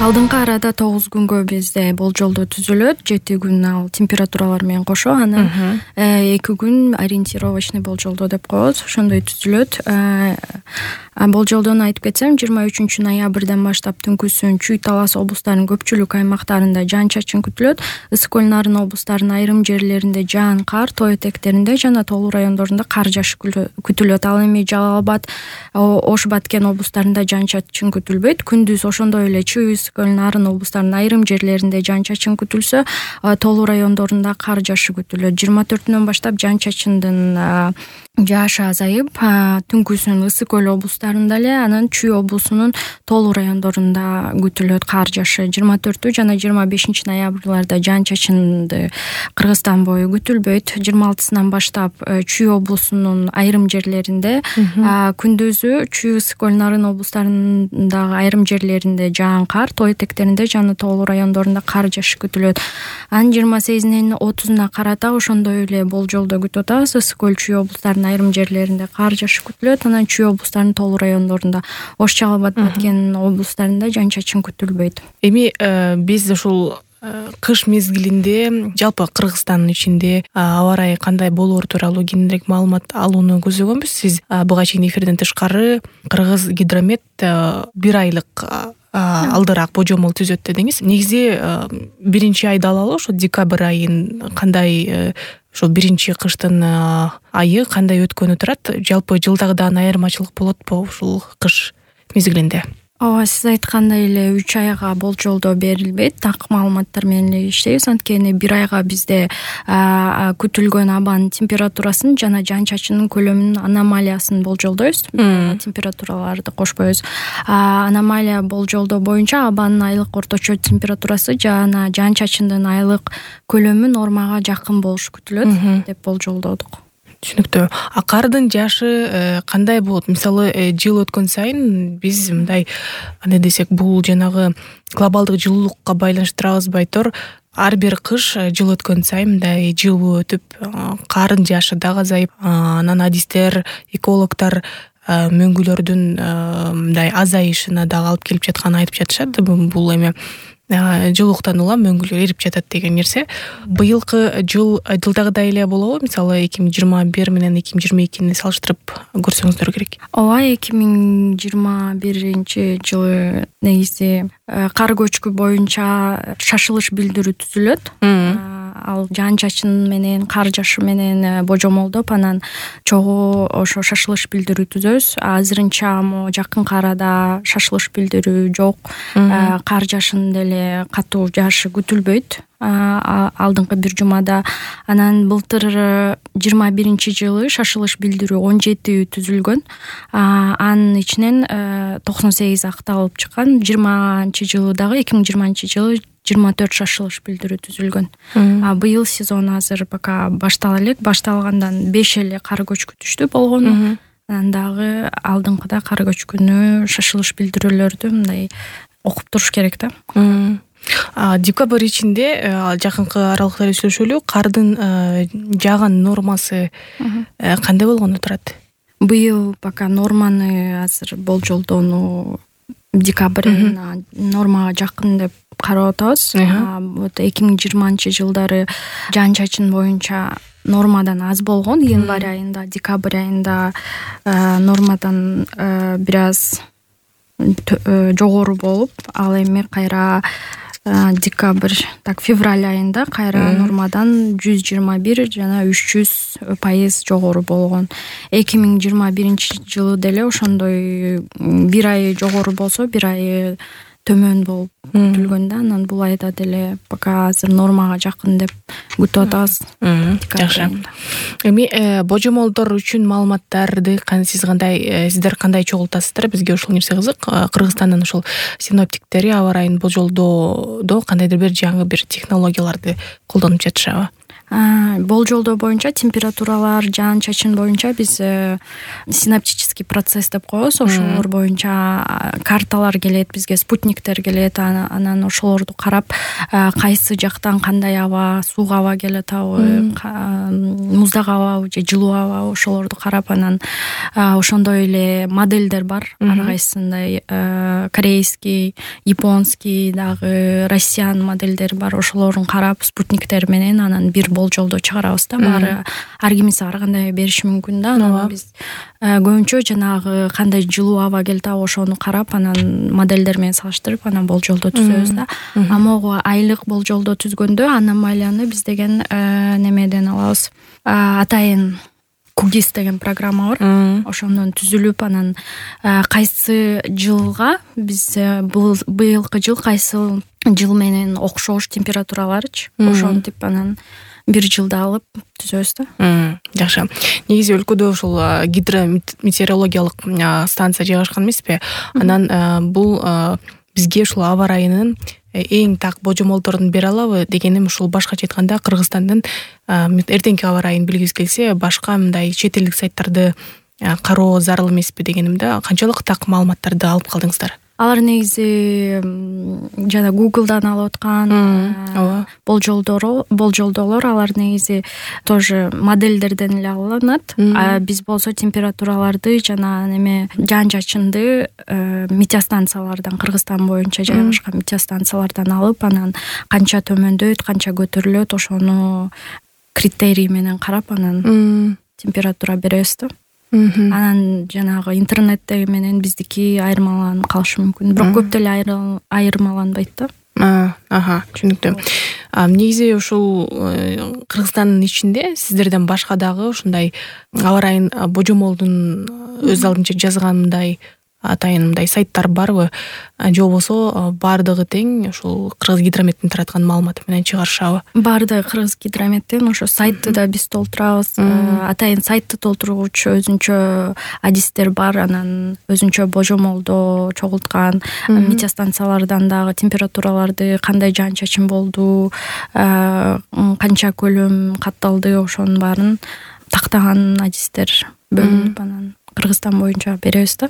Алдыңкы арада 9 күнгө бизде болжолдоо түзүлөт. 7 күн ал температуралар менен кошо, анан 2 күн ориентировочный болжолдоо деп коебуз. Ошондой түзүлөт. Болжолдоону айтып кетсем, 23-ноябрдан баштап түнкүсүн Чүй Талас облустарынын көпчүлүк аймактарында жаан-чачын күтүлөт. Ысык көл Нарын облустарынын айрым жерлеринде жаан, кар, тоо этектеринде жана тоолуу райондорунда кар жаашы күтүлөт. Ал эми Жалал Абад, Ош Баткен облустарында жаан-чачын күтүлбөйт. Күндүз ошондой эле Чүй, Ысык көл Нарын облустарынын айрым жерлеринде жаан-чачын күтүлсө, тоолуу райондорунда кар жаашы күтүлөт. 24-нөн баштап жаан-чачындын жаашы азайып, түнкүсүн Ысык көл облустарында эле, анан Чүй облусунун тоолуу райондорунда күтүлөт кар жаашы. 24 жана 25 ноябрларда жаан-чачынды Кыргызстан бою күтүлбөйт. 26-сынан баштап Чүй облусунун айрым жерлеринде, күндүзү Чүй, Ысык көл Нарын облустарындагы айрым жерлеринде жаан, кар, тоо этектеринде жана тоолуу райондорунда кар жаашы күтүлөт. Анын 28-нен 30-на карата ошондой эле болжолдоо күтүп атабыз. Ысык көл, Чүй облустарынын айрым жерлеринде кар жаашы күтүлөт. Анан Чүй облустарынын тоолуу райондорунда, Ош, Жалал Абад, Баткен облустарында жаан-чачын күтүлбөйт. Эми биз ушул кыш мезгилинде жалпы Кыргызстандын ичинде аба ырайы кандай болоор тууралуу кененирээк маалымат алууну көзгөнбүз. Сиз буга чейин эфирден тышкары Кыргыз Гидромет 1 айлык алдыраак божомол түзөт дедиңиз. Негизи биринчи айды алалы, ошо декабрь айын кандай, ошол биринчи кыштын айы кандай өткөнү турат? Жалпы жылдагыдан айырмачылык болотпу ушул кыш мезгилинде? Ооба, сиз айткандай эле 3 айга болжолдоо берилбейт. Так маалыматтар менен эле иштейбиз. Анткени 1 айга бизде күтүлгөн абанын температурасын жана жаан-чачындын көлөмүнүн аномалиясын болжолдойбуз. Температураларды кошпойбуз. Аномалия болжолдоо боюнча абанын айлык орточо температурасы жана жаан-чачындын айлык көлөмү нормага жакын болушу күтүлөт деп болжолдодук. Түшүнүктүү. Кардын жаашы кандай болот? Мисалы, жыл өткөн сайын биз мындай, кандай десек, бул жанагы глобалдык жылуулукка байланыштырабызбы айтор, ар бир кыш жыл өткөн сайын мындай жылуу өтүп, кардын жаашы дагы азайып, анан адистер, экологдор мөңгүлөрдүн мындай азайышына дагы алып келип жатканын айтып жатышат. Бул эми жылуулуктан улам мөңгүлөр эрип жатат деген нерсе. Быйылкы жылдагыдай эле болобу? Мисалы 2021 менен 2022-ни салыштырып көрсөңүздөр керек. Ооба, 2021 жылы негизи кар көчкү боюнча шашылыш билдирүү түзүлөт. Ал жаан-чачын менен, кар жаашы менен божомолдоп, анан чогуу ошо шашылыш билдирүү түзөбүз. Азырынча жакынкы арада шашылыш билдирүү жок. Кар жаашын деле катуу жаашы күтүлбөйт алдыңкы бир жумада. Анан былтыр 21-жылы шашылыш билдирүү 17 түзүлгөн. Анын ичинен 98 акталып чыккан. 20-жылы дагы 2020-жылы 24 шашылыш билдирүү түзүлгөн. Быйыл сезон азыр пока баштала элек. Башталгандан 5 эле кар көчкү түштү болгону. Анан дагы алдыңкыда кар көчкүнү, шашылыш билдирүүлөрдү мындай окуп туруш керек да. Декабрь ичинде жакынкы аралыкта сүйлөшөлү, кардын жааган нормасы кандай болгону турат? Быйыл пока норманы азыр болжолдоону декабрь айына нормага жакын деп карап атабыз. 2020-жылдары жаан-чачын боюнча нормадан аз болгон. Январь айында, декабрь айында нормадан бир аз жогору болуп, ал эми кайра февраль айында кайра нормадан 121 жана 300% жогору болгон. 2021-жылы деле ошондой 1 ай жогору болсо, 1 ай төмөн болуп күтүлгөн да. Анан бул айда деле пока азыр нормага жакын деп күтүп атабыз. Жакшы. Эми божомолдор үчүн маалыматтарды сиздер кандай чогултасыздар? Бизге ушул нерсе кызык. Кыргызстандын ушул синоптиктери аба ырайын болжолдоодо кандайдыр бир жаңы бир технологияларды колдонуп жатышабы? Болжолдоо боюнча температуралар, жаан чачын боюнча биз синаптический процесс деп коебуз. Ошолор боюнча карталар келет бизге, спутниктер келет. Анан ошолорду карап кайсы жактан кандай аба, суук аба келип атабы, муздак абабы же жылуу абабы, ошолорду карап анан ошондой эле модельдер бар. Ар кайсысындай корейский, японский, дагы россиян модельдери бар. Ошолорун карап спутниктер менен анан бир болжолдоо чыгарабыз да. Баары ар кимиси ар кандай бериши мүмкүн да. Анан биз көбүнчө жанагы кандай жылуу аба келип атабы ошону карап анан модельдер менен салыштырып анан болжолдоо түзөбүз да. Могу айлык болжолдоо түзгөндө аномалияны биз деген немеден алабыз. Атайын Кугис деген программа бар. Ошондон түзүлүп анан кайсы жылга биз быйылкы жыл кайсы жыл менен окшош температураларычы ошентип анан бир жылда алып түзөбүз да. Жакшы. Негизи өлкөдө ушул гидрометеорологиялык станция жайгашкан эмеспи? Анан бул бизге ушул аба ырайынын эң так божомолдорун бере алабы дегеним ушул башкача айтканда Кыргызстандын эртеңки аба ырайын билгибиз келсе башка мындай чет элдик сайттарды кароо зарыл эмеспи дегенимде канчалык так маалыматтарды алып калдыңыздар? Алар негизи жана Google'дан алып аткан болжолдоолор алар негизи тоже модельдерден эле алынат. Биз болсо температураларды жана неме жаан чачынды метеостанциялардан, Кыргызстан боюнча жайгашкан метеостанциялардан алып анан канча төмөндөйт, канча көтөрүлөт ошону критерий менен карап анан температура беребиз да. Анан жанагы интернеттеги менен биздики айырмаланып калышы мүмкүн. Бирок көп деле айырмаланбайт да. Түшүнүктүү. Негизи ушул Кыргызстандын ичинде сиздерден башка дагы ушундай аба ырайын божомолдун өз алдынча жазгандай атайын мындай сайттар барбы? Же болбосо баардыгы тең ушул Кыргыз гидрометтин тараткан маалыматы менен чыгарышабы? Баардыгы Кыргыз гидрометтин, ошо сайтты да биз толтурабыз. Атайын сайтты толтургучу өзүнчө адистер бар, анан өзүнчө божомолдоо чогулткан метеостанциялардан дагы температураларды, кандай жаан чачын болду, канча көлөм катталды, ошонун баарын тактаган адистер бөлүнүп анан Кыргызстан боюнча беребиз да.